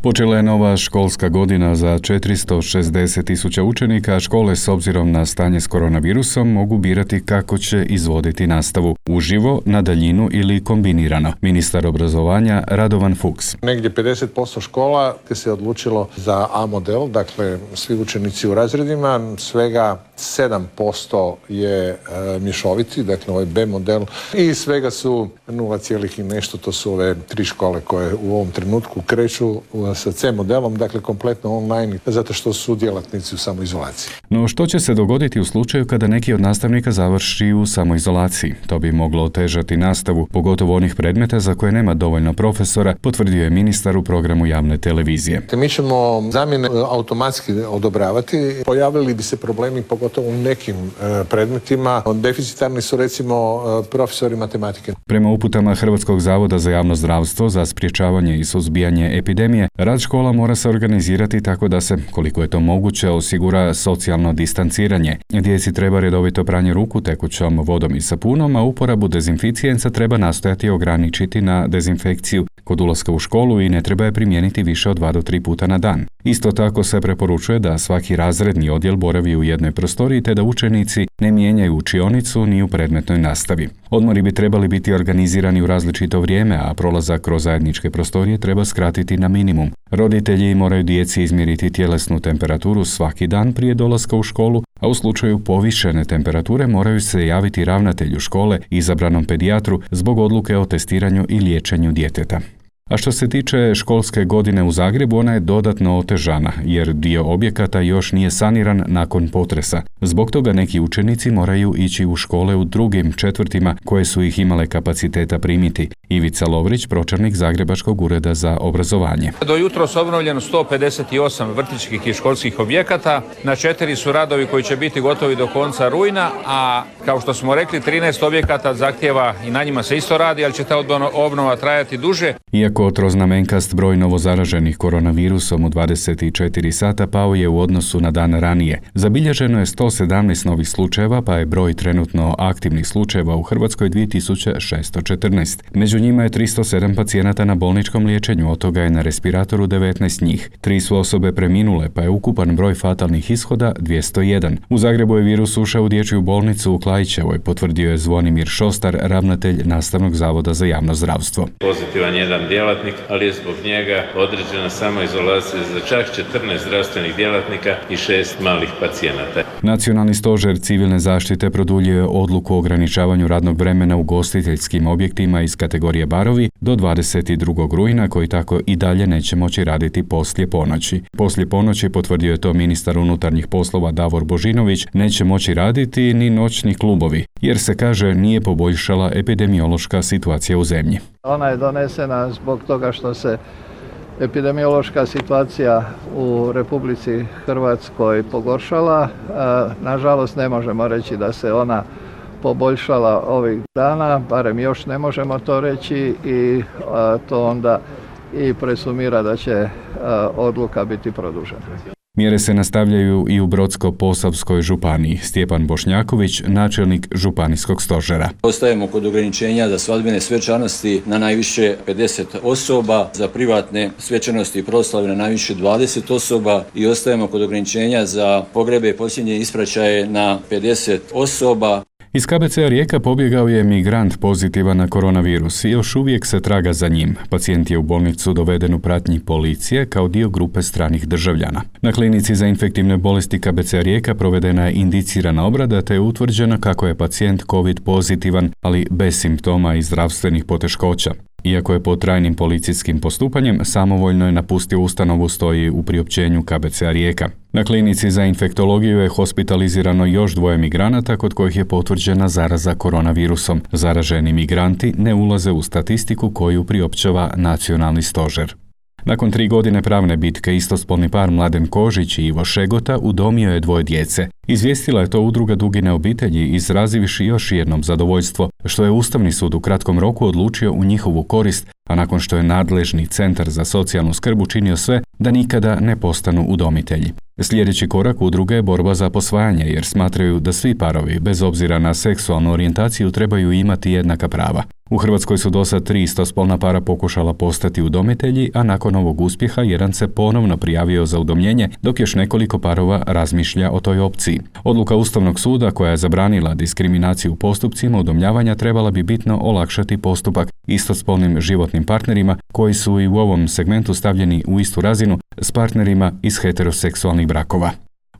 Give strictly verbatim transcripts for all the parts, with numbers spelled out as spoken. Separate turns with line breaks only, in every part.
Počela je nova školska godina za četiristo šezdeset tisuća učenika, a škole s obzirom na stanje s koronavirusom mogu birati kako će izvoditi nastavu, uživo, na daljinu ili kombinirano. Ministar obrazovanja Radovan Fuchs.
Negdje pedeset posto škola se odlučilo za A model, dakle svi učenici u razredima, svega sedam posto je e, mješoviti, dakle ovaj B model i svega su nula cijelih i nešto, to su ove tri škole koje u ovom trenutku kreću sa C modelom, dakle kompletno online, zato što su djelatnici u samoizolaciji.
No što će se dogoditi u slučaju kada neki od nastavnika završi u samoizolaciji? To bi moglo otežati nastavu, pogotovo onih predmeta za koje nema dovoljno profesora, potvrdio je ministar u programu javne televizije.
Mi ćemo zamjene automatski odobravati. Pojavili bi se problemi pogotovo u nekim e, predmetima. Deficitarni su recimo e, profesori matematike.
Prema uputama Hrvatskog zavoda za javno zdravstvo za sprječavanje i suzbijanje epidemije, rad škola mora se organizirati tako da se, koliko je to moguće, osigura socijalno distanciranje. Djeci treba redovito pranje ruku tekućom vodom i sapunom, a uporabu dezinficijensa treba nastojati ograničiti na dezinfekciju kod ulaska u školu i ne treba je primijeniti više od dva do tri puta na dan. Isto tako se preporučuje da svaki razredni odjel boravi u jednoj prostoriji te da učenici ne mijenjaju učionicu ni u predmetnoj nastavi. Odmori bi trebali biti organizirani u različito vrijeme, a prolazak kroz zajedničke prostorije treba skratiti na minimum. Roditelji moraju djeci izmjeriti tjelesnu temperaturu svaki dan prije dolaska u školu, a u slučaju povišene temperature moraju se javiti ravnatelju škole, izabranom pedijatru, zbog odluke o testiranju i liječenju djeteta. A što se tiče školske godine u Zagrebu, ona je dodatno otežana, jer dio objekata još nije saniran nakon potresa. Zbog toga neki učenici moraju ići u škole u drugim četvrtima koje su ih imale kapaciteta primiti. Ivica Lovrić, pročelnik Zagrebačkog ureda za obrazovanje.
Do jutros obnovljeno sto pedeset osam vrtićkih i školskih objekata, na četiri su radovi koji će biti gotovi do konca rujna, a kao što smo rekli, trinaest objekata zahtjeva i na njima se isto radi, ali će ta obnova trajati duže.
Iako troznamenkast broj novozaraženih koronavirusom u dvadeset četiri sata pao je u odnosu na dan ranije. Zabilježeno je sto sedamnaest novih slučajeva, pa je broj trenutno aktivnih slučajeva u Hrvatskoj dvije tisuće šesto četrnaest. Među njima je tristo sedam pacijenata na bolničkom liječenju, od toga je na respiratoru devetnaest njih. Tri su osobe preminule, pa je ukupan broj fatalnih ishoda dvjesto jedan. U Zagrebu je virus ušao u dječju bolnicu u Klaićevoj, potvrdio je Zvonimir Šostar, ravnatelj Nastavnog zavoda za javno zdravstvo.
Pozitivan jedan djelatnik, ali je zbog njega određena samoizolacija za čak četrnaest zdravstvenih djelatnika i šest malih pacijenata.
Nacionalni stožer civilne zaštite produljio je odluku o ograničavanju radnog vremena u ugostiteljskim objektima iz kategorije barovi do dvadeset drugog rujna, koji tako i dalje neće moći raditi poslije ponoći. Poslije ponoći, potvrdio je to ministar unutarnjih poslova Davor Božinović, neće moći raditi ni noćni klubovi, jer se, kaže, nije poboljšala epidemiološka situacija u zemlji.
Ona je donesena zbog toga što se epidemiološka situacija u Republici Hrvatskoj pogoršala. Nažalost, ne možemo reći da se ona poboljšala ovih dana, barem još ne možemo to reći, i to onda i presumira da će odluka biti produžena.
Mjere se nastavljaju i u Brodsko-posavskoj županiji. Stjepan Bošnjaković, načelnik županijskog stožera.
Ostajemo kod ograničenja za svadbene svečanosti na najviše pedeset osoba, za privatne svečanosti i proslave na najviše dvadeset osoba i ostajemo kod ograničenja za pogrebe i posljednje ispraćaje na pedeset osoba.
Iz K B C-a Rijeka pobjegao je migrant pozitivan na koronavirus i još uvijek se traga za njim. Pacijent je u bolnicu doveden u pratnji policije kao dio grupe stranih državljana. Na klinici za infektivne bolesti K B C-a Rijeka provedena je indicirana obrada te je utvrđeno kako je pacijent COVID pozitivan, ali bez simptoma i zdravstvenih poteškoća. Iako je pod trajnim policijskim postupanjem, samovoljno je napustio ustanovu, stoji u priopćenju K B C-a Rijeka. Na klinici za infektologiju je hospitalizirano još dvoje migranata kod kojih je potvrđena zaraza koronavirusom. Zaraženi migranti ne ulaze u statistiku koju priopćava Nacionalni stožer. Nakon tri godine pravne bitke, istospolni par Mladen Kožić i Ivo Šegota udomio je dvoje djece. Izvijestila je to udruga Dugine obitelji, izrazivši još jednom zadovoljstvo što je Ustavni sud u kratkom roku odlučio u njihovu korist a nakon što je nadležni centar za socijalnu skrb učinio sve da nikada ne postanu udomitelji. Sljedeći korak udruge je borba za posvajanje jer smatraju da svi parovi, bez obzira na seksualnu orijentaciju, trebaju imati jednaka prava. U Hrvatskoj su dosad tri istospolna para pokušala postati udomitelji, a nakon ovog uspjeha jedan se ponovno prijavio za udomljenje, dok još nekoliko parova razmišlja o toj opciji. Odluka Ustavnog suda koja je zabranila diskriminaciju u postupcima udomljavanja trebala bi bitno olakšati postupak istospolnim životnim partnerima koji su i u ovom segmentu stavljeni u istu razinu s partnerima iz heteroseksualnih brakova.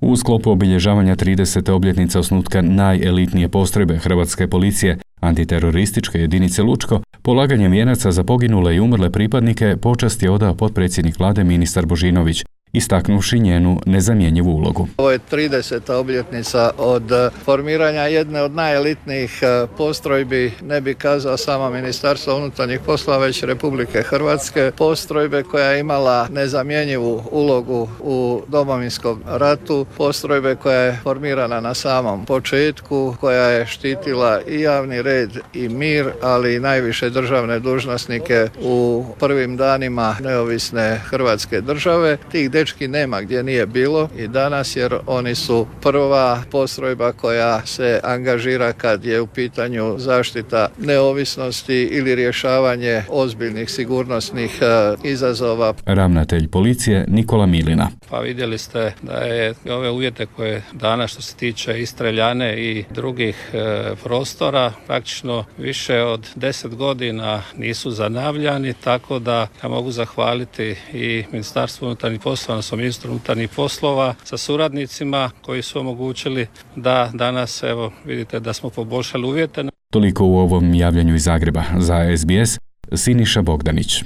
U sklopu obilježavanja tridesete obljetnice osnutka najelitnije postrojbe Hrvatske policije, antiterorističke jedinice Lučko, polaganjem vijenaca za poginule i umrle pripadnike počast je odao potpredsjednik vlade ministar Božinović, istaknuvši njenu nezamjenjivu ulogu.
Ovo je trideseta obljetnica od formiranja jedne od najelitnijih postrojbi, ne bi kazao samo Ministarstva unutarnjih poslova, već Republike Hrvatske, postrojbe koja je imala nezamjenjivu ulogu u Domovinskom ratu, postrojbe koja je formirana na samom početku, koja je štitila i javni red i mir, ali i najviše državne dužnosnike u prvim danima neovisne Hrvatske države. Tih dečki nema gdje nije bilo i danas, jer oni su prva postrojba koja se angažira kad je u pitanju zaštita neovisnosti ili rješavanje ozbiljnih sigurnosnih izazova.
Ravnatelj policije Nikola Milina.
Pa vidjeli ste da je ove uvjete koje danas što se tiče i streljane i drugih e, prostora praktično više od deset godina nisu zanavljani, tako da ja mogu zahvaliti i Ministarstvu unutarnjih poslova, odnosno ministru unutarnjih poslova sa suradnicima koji su omogućili da danas, evo, vidite da smo poboljšali uvjete.
Toliko u ovom javljanju iz Zagreba. Za S B S, Siniša Bogdanić.